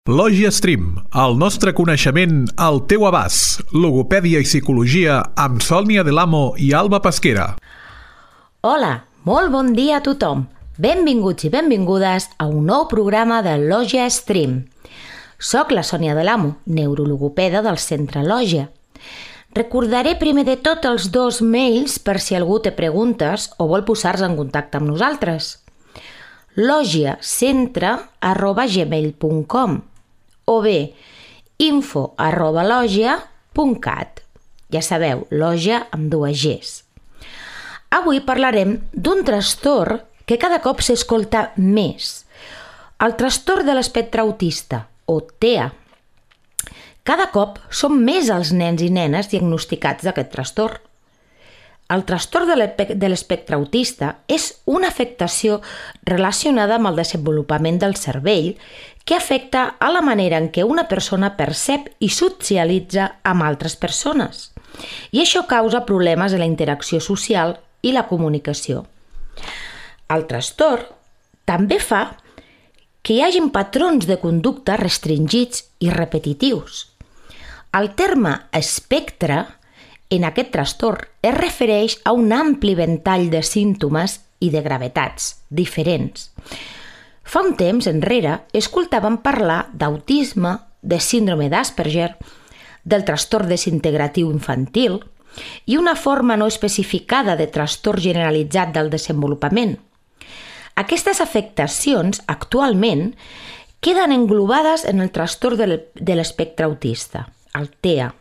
Lògia Stream, el nostre coneixement al teu abast. Logopèdia i psicologia amb Sònia Delamo i Alba Pesquera. Hola, molt bon dia a tothom. Benvinguts i benvingudes a un nou programa de Lògia Stream. Soc la Sònia Delamo, neurologopeda del Centre Lògia. Recordaré primer de tot els dos mails per si algú té preguntes o vol posar-se en contacte amb nosaltres. logiacentre@gmail.com o bé info@logia.cat. Ja sabeu, Lògia amb dues Gs. Avui parlarem d'un trastorn que cada cop s'escolta més, el trastorn de l'espectre autista, o TEA. Cada cop són més els nens i nenes diagnosticats d'aquest trastorn. El trastorn de l'espectre autista és una afectació relacionada amb el desenvolupament del cervell que afecta a la manera en què una persona percep i socialitza amb altres persones. I això causa problemes en la interacció social i la comunicació. El trastorn també fa que hi hagin patrons de conducta restringits i repetitius. El terme espectre en aquest trastorn es refereix a un ampli ventall de símptomes i de gravetats diferents. Fa un temps enrere escoltàvem parlar d'autisme, de síndrome d'Asperger, del trastorn desintegratiu infantil i una forma no especificada de trastorn generalitzat del desenvolupament. Aquestes afectacions actualment queden englobades en el trastorn de l'espectre autista, el TEA.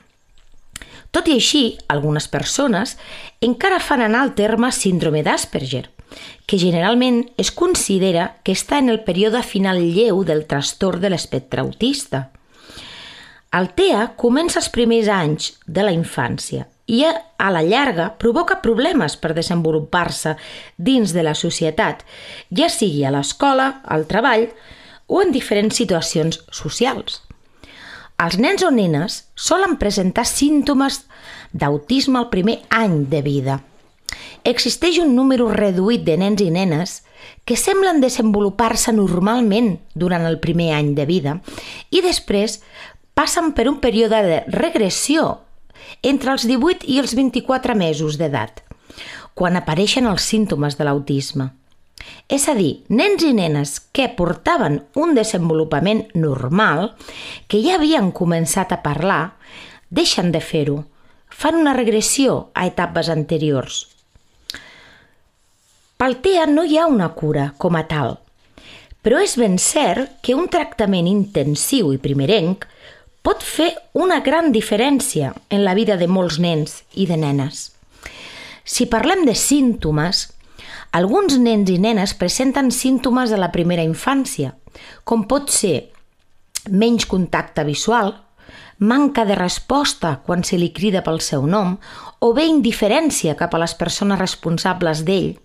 Tot i així, algunes persones encara fan anar el terme síndrome d'Asperger, que generalment es considera que està en el període final lleu del trastorn de l'espectre autista. El TEA comença els primers anys de la infància i a la llarga provoca problemes per desenvolupar-se dins de la societat, ja sigui a l'escola, al treball o en diferents situacions socials. Els nens o nenes solen presentar símptomes d'autisme al primer any de vida. Existeix un número reduït de nens i nenes que semblen desenvolupar-se normalment durant el primer any de vida i després passen per un període de regressió entre els 18 i els 24 mesos d'edat, quan apareixen els símptomes de l'autisme. És a dir, nens i nenes que portaven un desenvolupament normal, que ja havien començat a parlar, deixen de fer-ho, fan una regressió a etapes anteriors. Pel TEA no hi ha una cura com a tal, però és ben cert que un tractament intensiu i primerenc pot fer una gran diferència en la vida de molts nens i de nenes. Si parlem de símptomes, alguns nens i nenes presenten símptomes de la primera infància, com pot ser menys contacte visual, manca de resposta quan se li crida pel seu nom o bé indiferència cap a les persones responsables d'ell.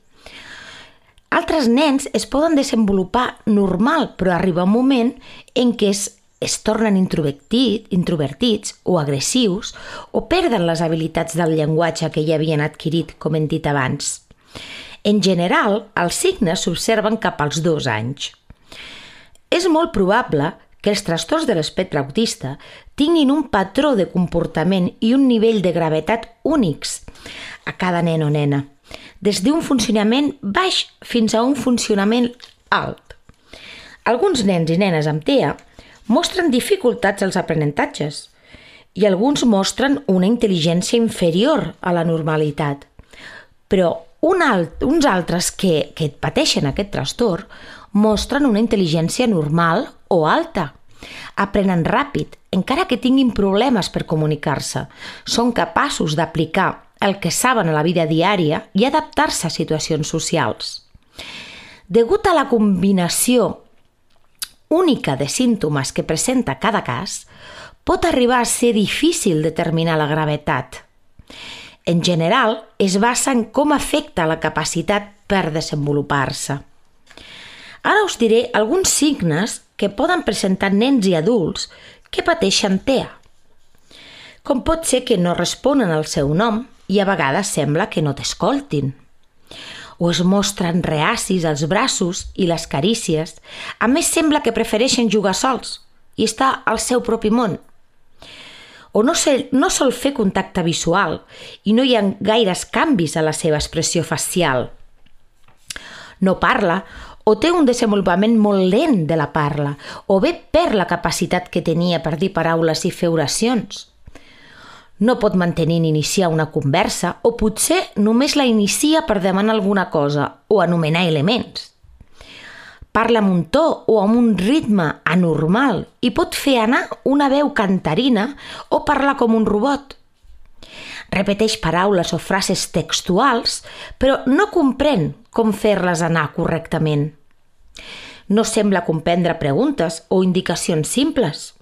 Altres nens es poden desenvolupar normal, però arriba un moment en què es tornen introvertits o agressius o perden les habilitats del llenguatge que ja havien adquirit, com hem dit abans. En general, els signes s'observen cap als 2 anys. És molt probable que els trastorns de l'espectre autista tinguin un patró de comportament i un nivell de gravetat únics a cada nen o nena, des d'un funcionament baix fins a un funcionament alt. Alguns nens i nenes amb TEA mostren dificultats als aprenentatges i alguns mostren una intel·ligència inferior a la normalitat, però uns altres que pateixen aquest trastorn mostren una intel·ligència normal o alta. Aprenen ràpid, encara que tinguin problemes per comunicar-se. Són capaços d'aplicar el que saben a la vida diària i adaptar-se a situacions socials. Degut a la combinació única de símptomes que presenta cada cas, pot arribar a ser difícil determinar la gravetat. En general, es basa en com afecta la capacitat per desenvolupar-se. Ara us diré alguns signes que poden presentar nens i adults que pateixen TEA. Com pot ser que no responen al seu nom i a vegades sembla que no t'escoltin. O es mostren reacis als braços i les carícies. A més, sembla que prefereixen jugar sols i està al seu propi món. O no sol fer contacte visual i no hi ha gaires canvis a la seva expressió facial. No parla o té un desenvolupament molt lent de la parla, o bé perd la capacitat que tenia per dir paraules i fer oracions. No pot mantenir ni iniciar una conversa, o potser només la inicia per demanar alguna cosa o anomenar elements. Parla amb un to o amb un ritme anormal i pot fer anar una veu cantarina o parlar com un robot. Repeteix paraules o frases textuals, però no comprèn com fer-les anar correctament. No sembla comprendre preguntes o indicacions simples.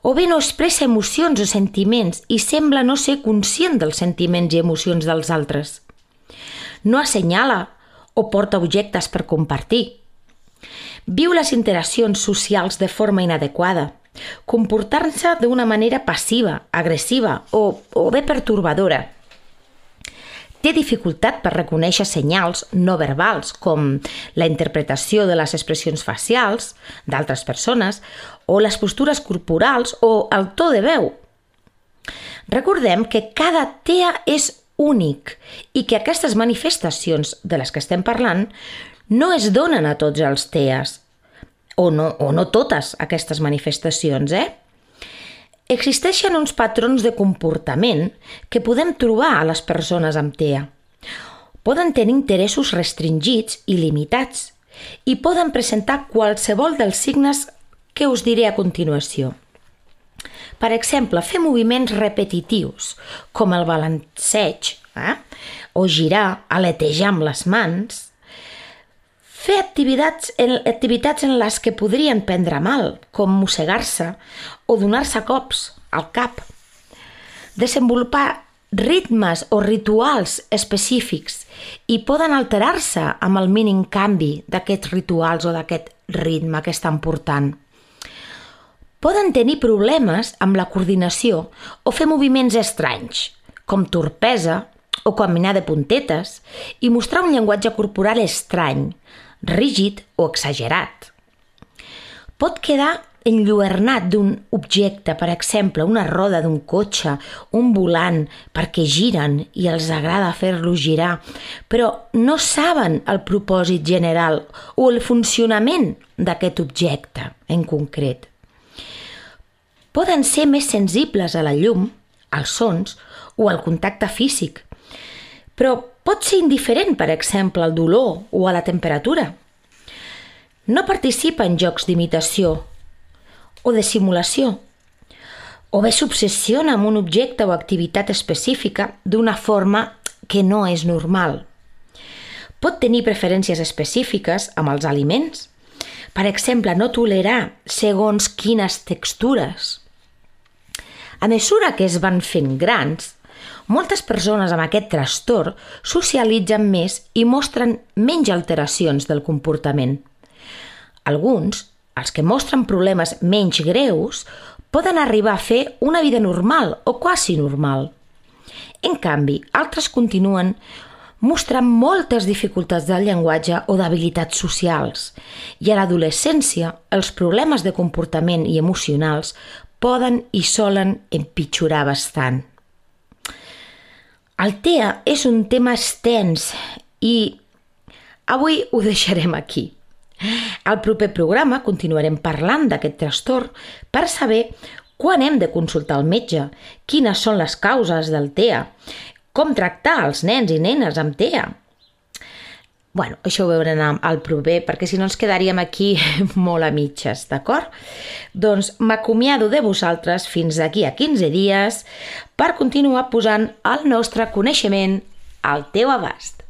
O bé no expressa emocions o sentiments i sembla no ser conscient dels sentiments i emocions dels altres. No assenyala o porta objectes per compartir. Viu les interaccions socials de forma inadequada, comportant-se d'una manera passiva, agressiva o bé pertorbadora. Té dificultat per reconèixer senyals no verbals com la interpretació de les expressions facials d'altres persones o les postures corporals o el to de veu. Recordem que cada TEA és únic i que aquestes manifestacions de les que estem parlant no es donen a tots els TEAs, o no totes aquestes manifestacions, Existeixen uns patrons de comportament que podem trobar a les persones amb TEA. Poden tenir interessos restringits i limitats i poden presentar qualsevol dels signes que us diré a continuació. Per exemple, fer moviments repetitius, com el balanceig, o girar, aletejar amb les mans, fer activitats en les que podrien prendre mal, com mossegar-se o donar-se cops al cap. Desenvolupar ritmes o rituals específics i poden alterar-se amb el mínim canvi d'aquests rituals o d'aquest ritme que estan portant. Poden tenir problemes amb la coordinació o fer moviments estranys, com torpesa o caminar de puntetes, i mostrar un llenguatge corporal estrany, rígid o exagerat. Pot quedar enlluernat d'un objecte, per exemple, una roda d'un cotxe, un volant, perquè giren i els agrada fer-lo girar, però no saben el propòsit general o el funcionament d'aquest objecte en concret. Poden ser més sensibles a la llum, als sons o al contacte físic, però pot ser indiferent, per exemple, al dolor o a la temperatura. No participa en jocs d'imitació o de simulació, o bé s'obsessiona amb un objecte o activitat específica d'una forma que no és normal. Pot tenir preferències específiques amb els aliments, per exemple, no tolerar segons quines textures. A mesura que es van fent grans, moltes persones amb aquest trastorn socialitzen més i mostren menys alteracions del comportament. Alguns, els que mostren problemes menys greus, poden arribar a fer una vida normal o quasi normal. En canvi, altres continuen mostrant moltes dificultats del llenguatge o d'habilitats socials, i a l'adolescència els problemes de comportament i emocionals poden i solen empitjorar bastant. El TEA és un tema extens i avui ho deixarem aquí. Al proper programa continuarem parlant d'aquest trastorn per saber quan hem de consultar el metge, quines són les causes del TEA, com tractar els nens i nenes amb TEA. Això ho veurem al proper, perquè si no ens quedaríem aquí molt a mitges, d'acord? Doncs m'acomiado de vosaltres fins d'aquí a 15 dies per continuar posant el nostre coneixement al teu abast.